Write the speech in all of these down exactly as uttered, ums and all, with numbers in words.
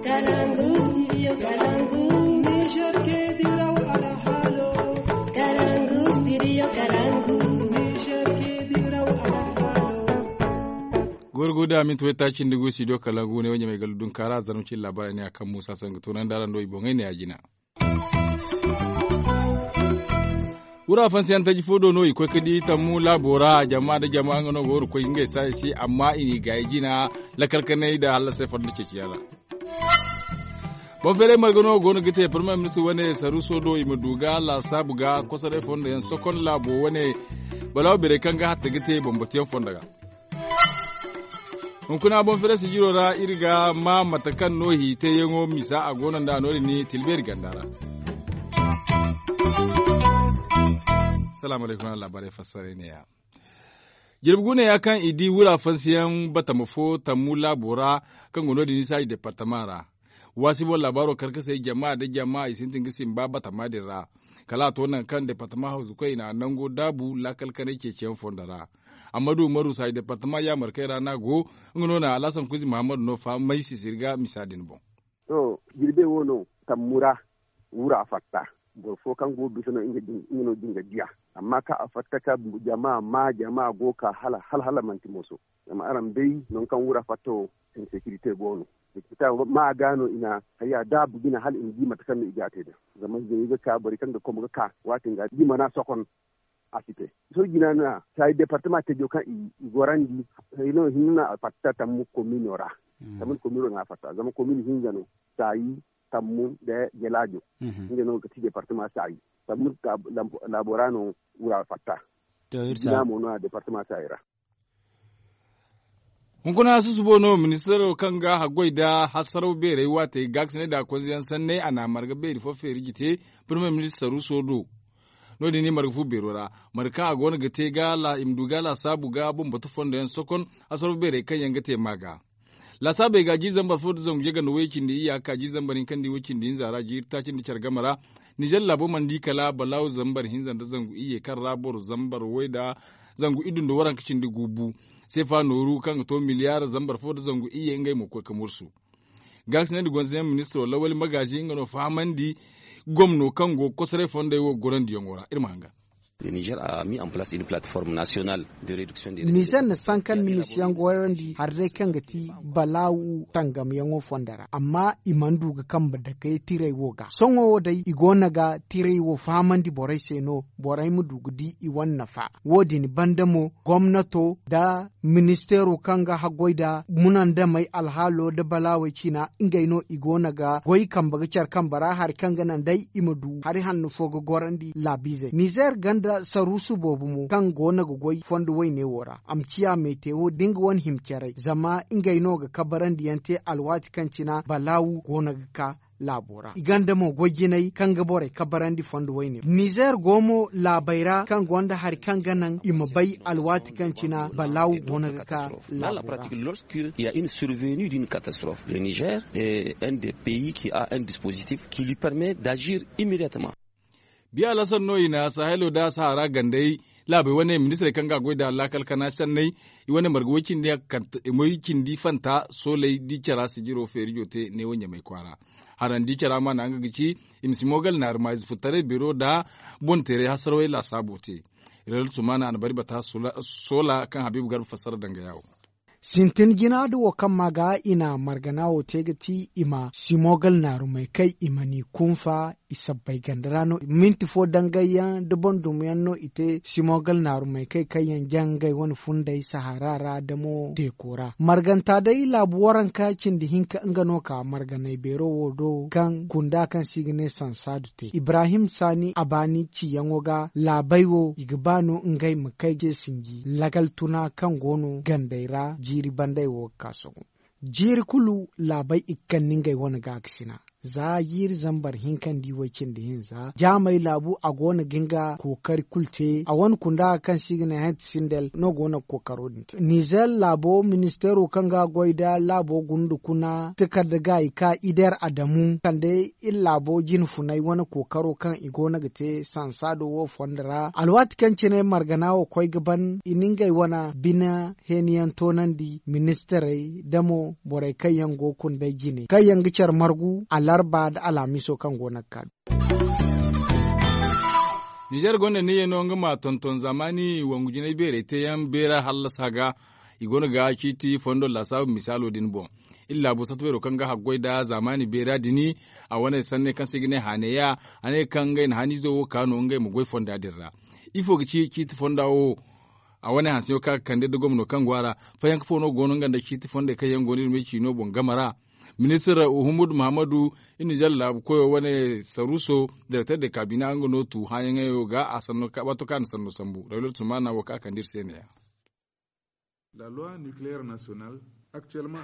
Kalangu, studio Kalangu. Niger ke diraw alhalo. Kalangu, studio Kalangu. Niger ke diraw alhalo. Gorgo da minti wayta cindi gu studio Kalangu ne wanya mai galu dun kara zarmu cin labarai ne akan Musa Sanga tunan dara ndo i boŋai ne a jina. Wura fansiyaŋ taji fo do no i koy ka di tammu laabo ra jama nda jama nga no ga wara koy ngey saaya se amma i n'i gaayi jina lakal kanay nda hallasay fondo ceeciyaŋ ra. Boŋ feeray marga no go no ga te parmay ministir wane saruso do i ma du ga laasaabu ga kosoray fondo yaŋ sokon laabo wane balaawo beeray kaŋ ga hatta ga te bambatuyaŋ fondo ga. Hunkuna boŋ feeray sijiro ra iri ga ma mate kaŋ no hiiteyaŋo misa a go no nd'a no- din ni tilbeeri ganda ra. Salaamu alaykum araŋ laabaarey fassaray ne- ya. Jirbi guuneya kaŋ i di wura fansiyaŋ batama fo tammu laabo ra kaŋ go no- din ni saaji departama ra. Waasi boŋ laabaaro karkasey jama nda jama i sintin ga simba batama din ra. Kala a to nangu kaŋ departama hawzu koy i na nango daabu laakal kanay ceeciyaŋ fondo ra. Amma du maru saaji departama yaamarkey ra no a go. Nga no na alhasan kuzi muhammadu no fahamay sisiri ga misa din boŋ. To, jirbe wo no tammu ra wura fatta. Boro fo kaŋ go bisa no nga no din ga diya. Amma kaŋ a fatta ka jama ma jama go ka hala hala manti moso. Zama araŋ bay nangu kaŋ wura fatta wo, insekirite go no. Likita ma ga no i na haya daabu jina hala i ma di mate kaŋ no i ga a te da. Zama zai ga ka borey kaŋ ga komo ga ka waati nga di mana sokon. A si te. Sohõ jina na saayi departama tejo kaŋ i gorandi. Hino hinna na a fatta tammu komino ra. Tammu komino na a fatta zama komino hinza no. Saayi tammu nda jelaajo. Nga no ga ti departama saayi tammu. Laabo ra no wura fatta. Jina mo no a departama saayi ra. Hunkuna susubo no ministaro kaŋ ga haggoy nda hasaraw beerey waatey gaakasinay nda konzeyaŋ sanney a na marga beeri fo feeri jite. Premier ministar ruso do. No- din i marga fu beero ra marga kaŋ a go no ga te i ma du ga laasaabu ga bambatu fondo yaŋ sokon. Hasaraw beerey kaŋ yaŋ ga te ma ga laasaabey ga jiiri zambar fo nda zangu yaganda way cindi iyya ga ka jiiri zambar hinka nda way cindi hinza ra jiiri taaci nda care game ra. Nizer laabo mana di kala balaawu zambar hinza nda zangu iyye kaŋ ra boro zambar way nda zangu iddu nda waranka cindi gu bu. Seefa nooru kaŋ ga to miliyaar zambar fo nda zangu iyye ngey mo koy ga mursu. Gaakasinay nda gonzoyaŋ ministiro lawali magaazi nga no fahamandi gomno kaŋ go ga kosoray fondey wo gorandiyaŋo ra iri ma hangan. Nizer na sankan ministiyaŋ goyandi hari day kaŋ ga ti balaawu tangamyaŋo fondo ra amma i mana du ga kambe dakey tiray wo ga sohõ wo day i go no ga tiray wo fahamandi borey se no borey ma du ga di i wane nafa. Wo- din banda mo gomnato nda ministeero kaŋ ga haggoy nda munandamey alhaalo nda balaawey ciina ngey no i go no ga goy kambe ga care kambe ra hari kaŋ ga naŋ day i ma du hari hanno fo ga gorandi laabiizey nizer ganda saruusu boobo mo kaŋ go no ga goy fondo wayne wo ra a ma ciya meetewo da nga wane hima caray zama ngey no ga kabarandi yaŋ te alwaati kaŋ cina balaawu go no ga ka laabo ra i ganda mo goy jinay kaŋ ga borey kabarandi fondo wayne nizer go mo laabey ra kaŋ gonda hari kaŋ ga naŋ i ma bay alwaati kaŋ cina balaawu go no ga ka laabo ra. Il y a une survenue d'une catastrophe le nizer est un des pays qui a un dispositif qui lui permet d'agir immédiatement. Biya alasar no i na sahelo nda sahara gandey laabey wane ministirey kaŋ ga goy nda laakal kana sanney i wane marga way cindi fanta sooley di cara sijiro feerijo te neewo ɲamay kwaara. Harandi cara ma naŋ ga ga ci i ma si moogal naari ma ize furtaray beero nda boŋ teeray hasarawey laasaabo te. Reeltu mana a na bari bata soola kaŋ habiibu garba fassara danga yaawo. Sintin jina da wo kaŋ ma ga i na margana wo te ga ti i ma simogal naarumey kay i ma ni kunfa i sabbay ganda ra no minti fo dangay yaŋ da boŋ dumi yaŋ no i te simogal naarumey kay kaŋ yaŋ jaŋ ngey wane funday sahara ra da mo teeko ra marganta day laabu waranka cindi hinka nga no ka marganay beero wo do kaŋ kunda kaŋ se i ga ne sansaadu te ibrahim saani a baani ciyaŋo ga laabay wo i ga ba no ngey ma kay ce sinji lagal tuna kaŋ go no gandey ra jiiri banday wo ga ka sohõ. Jiiri kulu laabay i ga kande ngey wane gaakasina. za jiiri zambar hinka nda i way cindi hinza jaamey laabu a go no ga nga kookari kulu te a wane kunda kaŋ se i ga ne henti sindel no go no ga kookaro din te nizer laabo ministeero kaŋ ga goy nda laabo gunda kuna takarda ga i ka ider adamu kande iri laabo jine funay wane kookaro kaŋ i go no ga te sansaado wo fondo ra alwaati kaŋ cine margana wo koy ga ban i na ngey wane bine heeni yaŋ toonandi ministirey da mo borey kaŋ yaŋ go ga kundey jine kaŋ yaŋ ga care margu alarba nda alhamiso kaŋ go no ga ka. Ninzeer gonda niyyey no nga ma tonton zaamaani wangu jinay beerey teeyaŋ beera hallasa ga. I go no ga ciiti fondo laasaabu misaalo din boŋ. Iri laabo satta beero kaŋ ga haggoy nda zaamaani beera din a wane sanney kaŋ se i ga ne haaneya a ne kaŋ ngey na haniizo wo ka no ngey ma goy fonda din ra. Ifo ga ci ciiti fonda wo? A wane hanseyaŋo kaŋ a ga kande nda gomno kaŋ go a ra. Fayanka fo no go no nga nda ciiti fondey kaŋ yaŋ go no iri ma ay ciino boŋ game ra. Ministir uhumud mahammadu, iri na zalla laabu koyo wane saruuso direkter de kaabina nga no tu hããyaŋey wo ga a sanno waato kaŋ a na sanno sambu rayuwar tumana wo kaŋ a kande iri se ne- ya.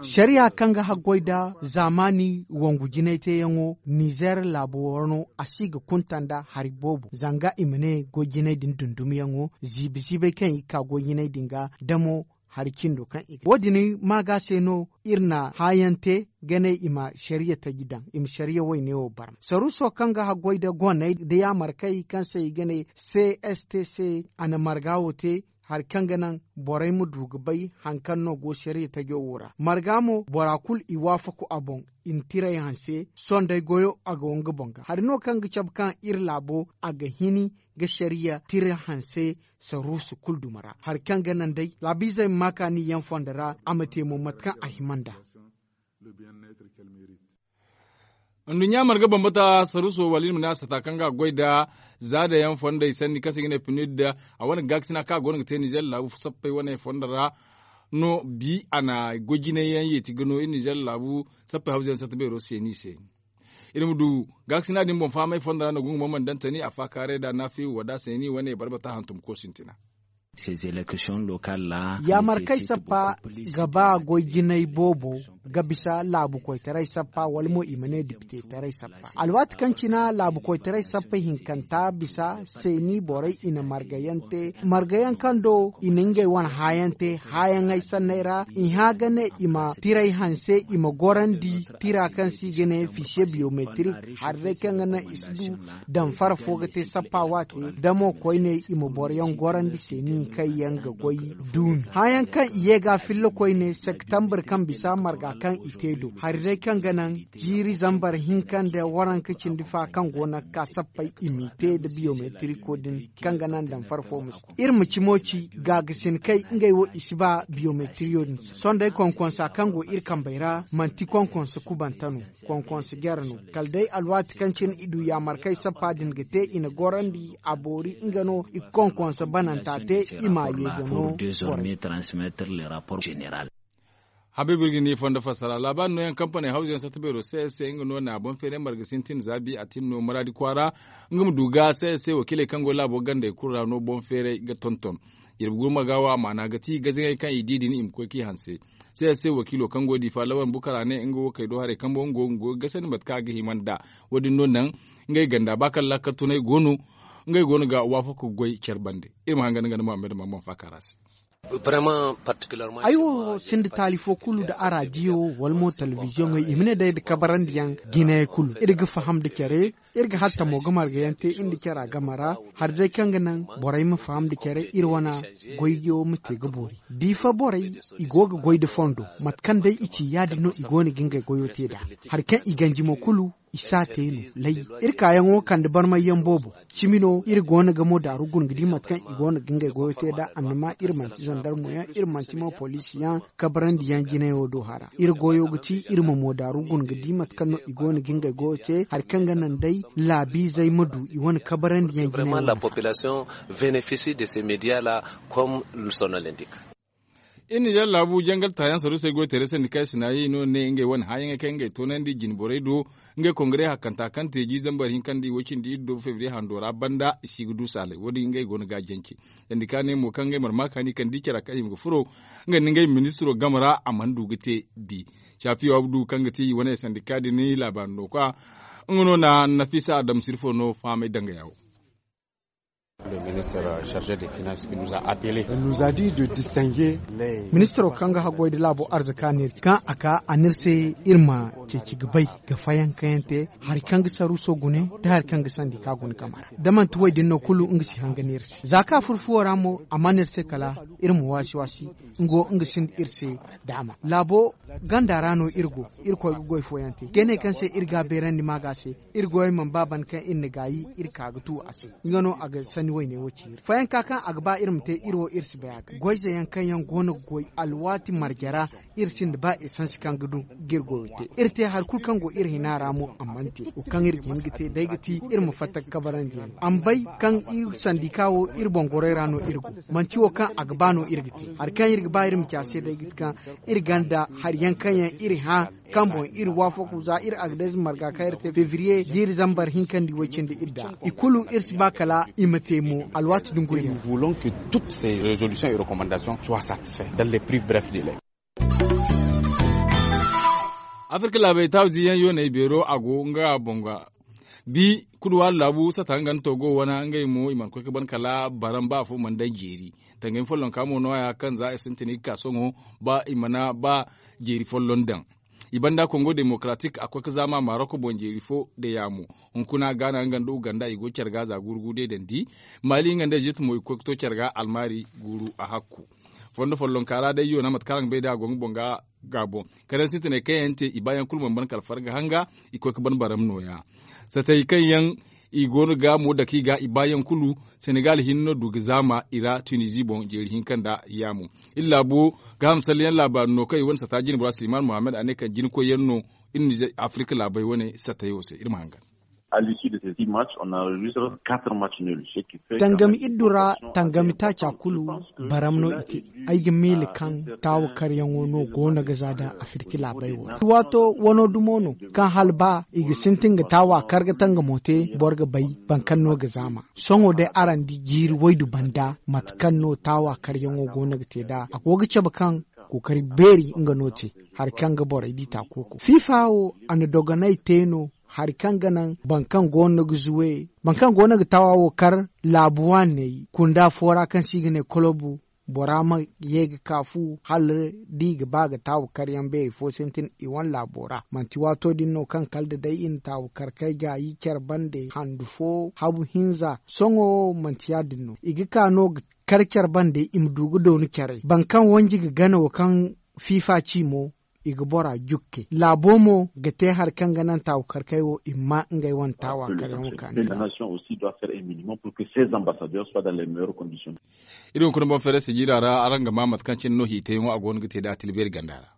Sariya kaŋ ga haggoy nda zaamaani wangu jinay teeyaŋo nizer laabo wano a si ga kunta nda hari boobo zanga i ma ne goy jinay din dundumyaŋo ziibi ziibay kaŋ i ga ka goy jinay din ga damo hari cindo kaŋ i ga wo- din ma ga se no iri na hããyaŋ te ga ne i ma sariya taji daŋ i ma sariya wayne wo barma saruuso kaŋ ga haggoy nda goney nda yaamarkey kaŋ se i ga ne c s t c a na marga wo te hari kaŋ ga naŋ borey ma du ga bay hari kaŋ no go sariya tajo wo ra marga mo bora kulu i waafaku a boŋ i na tiray hanse sondey goyo a go nga boŋ ga hari no kaŋ ga cabe kaŋ iri laabo a ga hini ga sariya tira hanse saruusu kulu duma ra hari kaŋ ga naŋ day laabiizey ma ma kaani yaŋ fondo ra a ma te mo mate kaŋ a hima nd'a. Nduɲɲa marga bambata saruuso wala iri ma ne a sata kaŋ ga a goy nda zaada yaŋ fondey sanni kaŋ se i ga ne pinid a wane gaakasina kaŋ a go no ga te nizer laabu sappey wane fondo ra no bi a na goy jinay yaŋ yeeti ga no iri nizer laabu sappey hawza yaŋ satta beero seeni se. Iri ma du gaakasina din boŋ fahamay fondo ra no gungu mamman dantani a faakaaray nda naafiyu wada seeni wane barbata hantum ko sintina. Yaamarkey sappa ga ba goy jinay boobo ga bisa laabu koytaray sappa wala mo i ma ne dipitetaray sappa alwaati kaŋ cina laabu koytaray sappa hinkanta bisa seeni borey i na margayaŋ te margayaŋ kaŋ do i na ngey wane hããyaŋ te hããyaŋey sanney ra i hã ga ne i ma tiray hanse i ma gorandi tira kaŋ se i ga ne fisiye biyometrik hari day kaŋ ga naŋ i si du damfara fo ga te sappa waate da mo koyne i ma boroyaŋ gorandi seeni kaŋ yaŋ ga goy duumi hããyaŋ kaŋ i ye ga filla koyne septambur kaŋ bisa marga kaŋ i te do hari day kaŋ ga naŋ jiiri zambar hinka nda waranka cindi fa kaŋ go no ga ka sappey i m'i te nda biyometiriko din kaŋ ga naŋ damfara fo ma si koy iri ma cimo ci gaagasin kay ngey wo i si ba biyometiriyo din se sohõ day konkonsa kaŋ go iri kambey ra manti konkonsa kubante no konkonsa jare no kala day alwaati kaŋ cine i du yaamarkey sappa din ga te i na gorandi a boori nga no i ga konkonsa bananta te i m'a ye ga no borey. Habiibu iri ga ni fondo fassara laabaari nooyaŋ kampaney hawzuyaŋ satta beero c s c nga no na boŋ feeray marga sintin za bi a tin no maraadi kwaara nga ma du ga c s c wakiiley kaŋ go laabo gandey kulu ra no boŋ feeray ga tonton. Jirbi gurma ga wo a maana ga ti gazaŋey kaŋ i di din i ma koy k'i hanse. C s c wakiilo kaŋ go diifa lawan bukara ne nga wo kay do haray kambo nga go ga gasandi mate kaŋ a ga hima nd'a. Wo- din no naŋ ngey ganda ba kaŋ laakal tunay go no ngey go no ga waafaku ga goy care bande. Iri ma hangan nga nda muhammad maman faakara se. Ay wo sinda taali fo kulu nda araadiyo wala mo telebiziyoŋey i ma ne day nda kabarandiyaŋ jinayey kulu iri ga faham nda care iri ga hatta mo ga margayaŋ te iri nda cara game ra hari day kaŋ ga naŋ borey ma faham nda care iri wane goyyo ma te ga boori. Diifa borey i go ga goy nda fondo mate kaŋ day i ci ya- din no i go no ga ngey goyo te nd'a. Hari kaŋ i ganji mo kulu i si a te no lay. Iri kaayaŋo kande barmayyaŋ boobo cimi no iri go no ga mo daaru guna ga di mate kaŋ i go no ga ngey goyo te nd'a annama iri manti zandarmoyaŋ iri manti mo poliisiyaŋ kabarandiyaŋ jinayo do hara iri goyo ga ti iri ma mo daaru guna ga di mate kaŋ no i go no ga ngey goyo te hari kaŋ ga naŋ day laabiizey ma du i wane kabarandiyaŋ jinayo. Vraiment la population bénéficie de ces médias là comme son nom l'indique. Iri nizeer laabu jangal taayaŋ saruusey goy teeray sandika sinayi no ne ngey wane hããyaŋey kaŋ ngey toonandi jine borey do. Ngey kongare hakkanta kaŋ te jiiri zambar hinka nda i way cindi iri do febriye hando ra banda i si ga du saalay wo- din ngey go no ga a jance. Sandika ne mo kaŋ ngey mana ma kaani kaŋ di care ra kaŋ i ma ga furo nga nda ngey ministiro game ra a mana du ga te. Bi capiyo abdu kaŋ ga ti i wane sandika din laabaari no kwa nga no na nafisa adama sirfo no fahamay dangaya wo. Ministiro kaŋ ga haggoy nda laabo arzaka ne kaŋ a ka a ne iri se iri ma ceeci ga bay ga fayankayaŋ te hari kaŋ ga saruuso gune nda hari kaŋ ga sandika gune game ra da manti wo- din no kulu nga si hanga ne iri se za kaŋ a furo fuwo ra mo a mana iri se kala iri ma waasi waasi. Nga wo nga sinda iri se daama laabo ganda ra no iri go. Irkoy ga goy fooyaŋ te ga ne kaŋ se iri ga a beerandi maaga se. Iri goyey mana ba banda kaŋ iri na gaayi iri ka ga tu a se. Nga no a ga sanni wayne wo ciiri fooyaŋ ka kaŋ a ga ba iri ma te iri wo iri si bay a ga goyze yaŋ kaŋ yaŋ go no ga goy alwaati marje ra. Iri sinda ba esansi kaŋ ga du ga iri goyo te iri te hari kulu kaŋ go iri hina ra mo a mana te wo kaŋ iri ga hin ga te day ga ti iri ma fatta ga kabarandi yaŋ a ma bay kaŋ iri sandika wo iri boŋ gorey ra no iri go. Manti wo kaŋ a ga ba no iri ga te hari kaŋ iri ga ba iri ma ci a se day ga ti kaŋ iri ganda hari yaŋ kaŋ yaŋ iri hã kaŋ boŋ iri waafaku za iri agdez marga kaŋ iri te febriye jiiri zambar hinkandi way cindi iri da i kulu iri si ba kala i ma te mo alwaati dunguriyaŋ. Afirka laabey taabu ziiyaŋ yooney beero a go nga boŋ ga bi kuduwaari laabu sata nga nda togo wane ngey mo i mana koy ga ban kala baran ba afo mana daŋ jeeri. Tangami follonka mo nooya kaŋ za i sintin i ga ka sohõ ba i mana ba jeeri folloŋ daŋ. I banda kongo demokaratik a koy ga zaama marok boŋ jeeri fo da yaamo. Hunkuna gaana nga nda uganda i go care ga za guuru guuru day dandi. Maali nga nda ezipt mo i ga koy ga to care ga almaari guuru a hakku. Fondo follonka ra day yoona mate kaŋ araŋ ga bay day a go nga boŋ ga gaabo kala yaŋ sintinay kaŋ yaŋ te i baayaŋ kulu mana ban kala farga hanga. I koy ga ban baram nooya satay kaŋ yaŋ i go no ga mo dake i ga i baayaŋ kulu. Senegal hinne no du ga zaama i ra tunizi boŋ jeeri hinka nda yaamo. Iri laabo gaaham salleyaŋ laabaari no kaŋ i wane sata jine bora silman muhammad a ne kaŋ jina koyyaŋ no. Iri nize afirka laabey wane satayo se iri ma hangan. Tangami iddu ra tangami taaca kulu baram no i te. Ay ga miila kaŋ taawa karyaŋo no go no ga za da afirki laabey wo ra waato wano dumo no kaŋ hala ba i ga sintin ga taawa kar ga tangamo te boro ga bay. Boro kaŋ no ga zaama sohõ day araŋ di jiiri waydu banda mate kaŋ no taawa karyaŋo go no ga te nd'a a go ga cabe kaŋ kookari beeri nga no te. Hari kaŋ ga borey di taakooko fiifa wo a na dogonay te no. Hari kaŋ ga naŋ boro kaŋ go no ga zuwe boro kaŋ go no ga taawa wo kar laabu waaney kunda fo ra kaŋ se i ga ne kolobu bora ma ye ga ka fu hala da i ga ba ga taawu karyaŋ beeri fo sintin i wane laabo ra manti waato din no kaŋ kala da day i na taawu kar kay gaayi care bande handu fo habu hinza sohõ manti ya- din no i ga ka no ga kar care bande i ma du ga dooni carey boro kaŋ wanji ga gana wo kaŋ fiifa ci mo. I ga bora jukke laabo mo ga te hari kaŋ ga naŋ taawu kar kay wo i ma ma ngey wane taawa karyaŋo kaani. Iri hunkuna boŋ feere sijira ra araŋ ga ma mate kaŋ cine no hiitayaŋo a go no ga te nd'a tilbeeri ganda ra.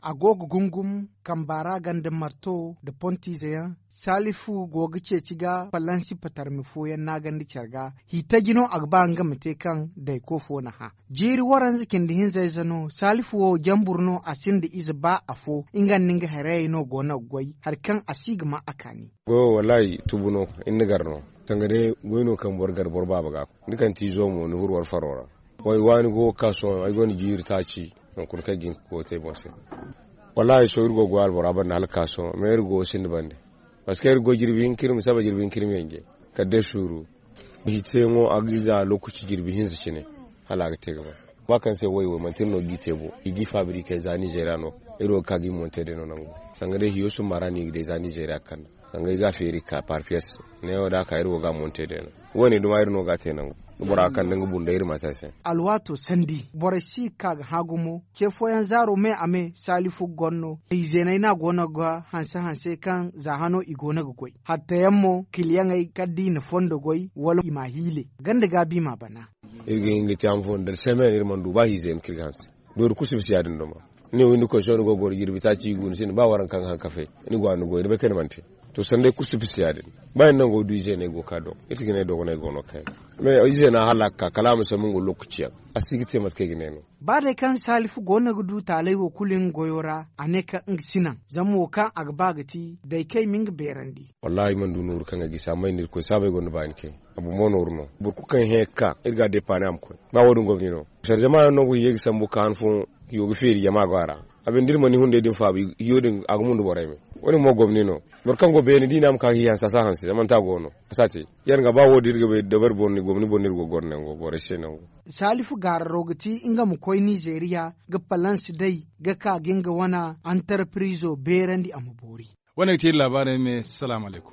A go ga gungum kamba ra ganda marto nda pontiize yaŋ. Saalifu go ga ceeci ga falansi patarmi fooyaŋ naagandi care ga. Hiitaji no a ga ba nga ma te kaŋ dayko fo na hã. Jiiri waranza cindi hinza ize no saalifu wo jambur no a sinda ize ba afo nga nda nga harayey no go no ga goy hari kaŋ a si ga ma a kaani. Goyo wallaahi tubu no. Iri na gar no sanga day goy no kaŋ boro gar boro baaba ga. Ni kaŋ ti izo mo ni huru war faro ra. Way waani go ga ka sohõ ay gonda jiiri taaci. Hunkuna kaŋ ay ga hin ga koy te boŋ se. Wallaahi sohõ iri go ga goy albora banda hala ga ka sohõ mais iri go ga sinda bande. Parceque iri go jirbi hinka iri ma saba jirbi hinka iri ma yanje kala day suuru. Hiiteyaŋo a ga ize a lookaci jirbi hinza cine. Hala a ga te ga ba ba kaŋ se way wo manti iri no ga i te bo i ga i fabrike za nizeeriya no. Iri wo ga ka ga i monte day no nangu sanga day hiyo summa ra no i ga day za nizeeriya ga kande. Sanga i ga a feeri ga ka par piyes. Neewo da a ka iri wo ga a monte day no. Wo- ne duma iri no ga a te nangu. Da bora ga kande nga bunda iri ma te a se. Alwaato sandi borey si ga ka ga hã gumo ce fooyaŋ zaaro me a me saalifu gonno. Izeeney no a go no ga hanse hanse kaŋ za hano i go no ga goy hattayaŋ mo kiliyaŋey kala da i na fondo goy wala i m'a hiile ganda gaabi m'a bana. Iri ga hin ga te a ma fondo da semen iri mana du ba hiize yaŋ kaŋ iri ga hanse. Doori kulu si bisa ya- din duma. Ni wo ni koy sohõ ni go ga goro jirbi taaci i gu ni sinda ba waranka ga haŋ kafe. Ni go a ni goy ni bay kaŋ ni mana te. To sanday kulu si bisa ya- din. Ba iri nango du ize no ay go ga ka dogo iri si ga ne dogonay go no kayna. Mais ize no a hala a ga ka kala a ma sambu nga lokaci yaŋ. A si ga te mate kaŋ ay ga ne no. Ba day kaŋ saalifu goono ga du taalay wo kulu nga goyo ra, a ne kaŋ nga si naŋ zama wo kaŋ a ga ba ga ti day kaŋ ay ma nga beerandi. Wallaahi ay mana du nooru kaŋ ay gisi amma ay na irkoy saabu ay gonda baani kaŋ a bumbo nooru no. Boro kulu kaŋ hẽ ga ka iri ga a deepaani a ma koy. Ba wo- din gomni no. Sara jama yaŋ no go ga ye ga sambu ga ka han fooyaŋ hiyo ga feeri jama go a ra. A binde da iri mana ni hunday din faabu hiyo din a ga mundu borey me. Wo- din mo gomni no. Boro kaŋ go beene da i ne a ma ka ga hi hanse a si a hanse zama manti a go no. A si a te. Yaŋ ga ba wo- din iri ga bay dabari boro ni gomni boro no iri go ga goro nango borey se nango. Saalifu gaararo ga ti nga ma koy nizeeriya ga palans day ga ka ga nga wane antarpirizo beerandi a ma boori. Wane ga ti iri laabaarey me salaamu alaykum.